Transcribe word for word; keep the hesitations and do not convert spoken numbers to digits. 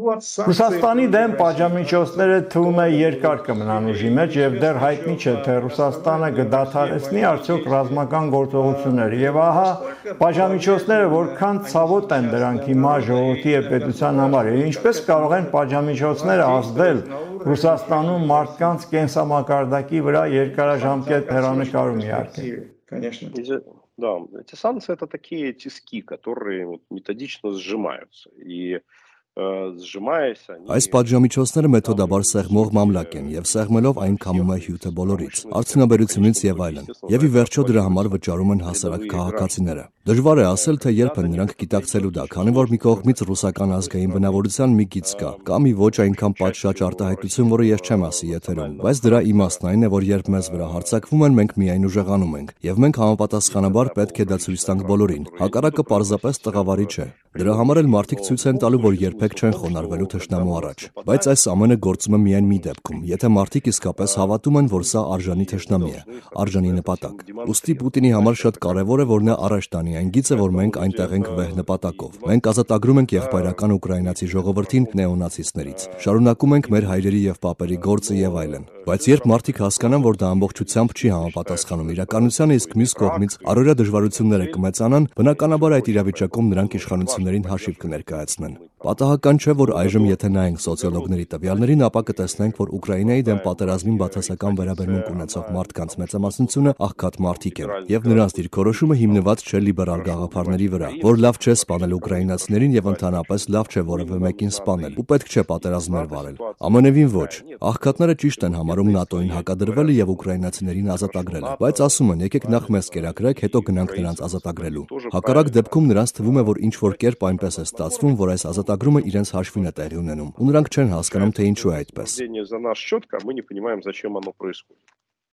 Ռուսաստանի դեմ պատժամիջոցները թվում է երկար կմնան ուժի մեջ եւ դեռ հայտնի չէ, թե Ռուսաստանը կդադարեցնի արդյոք ռազմական գործողությունները եւ ահա պատժամիջոցները որքան ցավոտ են դրանք հիմա ժողովրդի եւ պետության համար եւ ինչպես կարող են պատժամիջոցները ազդել Ռուսաստանում մարդկանց կենսամակարդակի վրա երկարաժամկետ հեռանկարում իհարկե։ Да, эти санкции это такие тиски, которые вот методично сжимаются и Այս պատժամիջոցները մեթոդաբար սեղմող մամլակ են եւ սեղմելով այն քամում է հյութը բոլորից, արդյունաբերությունից եւ այլն։ Եվ ի վերջո դրա համար վճարում են հասարակ քաղաքացիները։ Դժվար է ասել, թե երբ են նրանք գիտակցելու դա, քանի որ մի կողմից ռուսական ազգային բնավորության մի գիծ կա, կամ մի ոչ այնքան պատշաճ արտահայտություն, որը ես չեմ ասի եթերում, բայց դրա իմաստն այն է, որ երբ մեզ վրա հարձակվում են, մենք միայն ուժեղանում ենք, եւ մենք համապատասխանաբար պետք է դա ցույց տանք բոլորին։ Հակառակը պարզապես տղավարի չէ։ Դրա համար էլ մարդիկ ցույց են տալու, որ երբեք չեն խոնարհվելու թշնամու առաջ։ Բայց այս ամենը գործում է միայն մի դեպքում, եթե մարդիկ իսկապես հավատում են, որ սա արժանի թշնամի է, արժանի նպատակ։ Ուստի Պուտինի համար շատ կարևոր է, որ նա առաջ տանի այն գիծը, որ մենք այնտեղ ենք վեհ նպատակով։ Մենք ազատագրում ենք եղբայրական ուկրաինացի ժողովրդին նեոնացիստներից։ Շարունակում ենք մեր հայրերի եւ պապերի գործը եւ այլն։ Բայց երբ մարդիկ հասկանան, որ դա ամբողջությամբ չի համապատասխանում իրականությանը, իսկ մյուս կողմից առօրյա դժվարությունները կմեծանան, բնականաբար այդ իրավիճակում նրանք իշխանություններին հաշիվ կներկայացնեն։ Պատահական չէ, որ այժմ եթե նայենք սոցիոլոգների տվյալներին, ապա կտեսնենք, որ Ուկրաինայի դեմ պատերազմին բացասական վերաբերմունք ունեցող մարդկանց մեծամասնությունը աղքատ մարդիկ են, եւ նրանց դիրքորոշումը հիմնված չէ լիբերալ գաղափարների վրա, որ լավ չէ սպանել ուկրաինացիներին եւ ընդհանրապես լավ չէ որևէ մեկին սպանել, ու պետք չէ պատերազմներ վարել։ Ամենևին ոչ։ Աղքատները ճիշտ են համարում ՆԱՏՕ-ին հակադրվելը եւ ուկրաինացիներին ազատագրելը, բայց ասում են, եկեք նախ մեզ կերակրեք, հետո գնանք նրանց ազատագրելու։ Հակառակ դեպքում նրանց թվում է, որ ինչ որ կերպ այնպես է ստացվում, որ այս ազատագրումը իրենց հաշվին է տեղի ունենում, ու նրանք չեն հասկանում, թե ինչու է այդպես։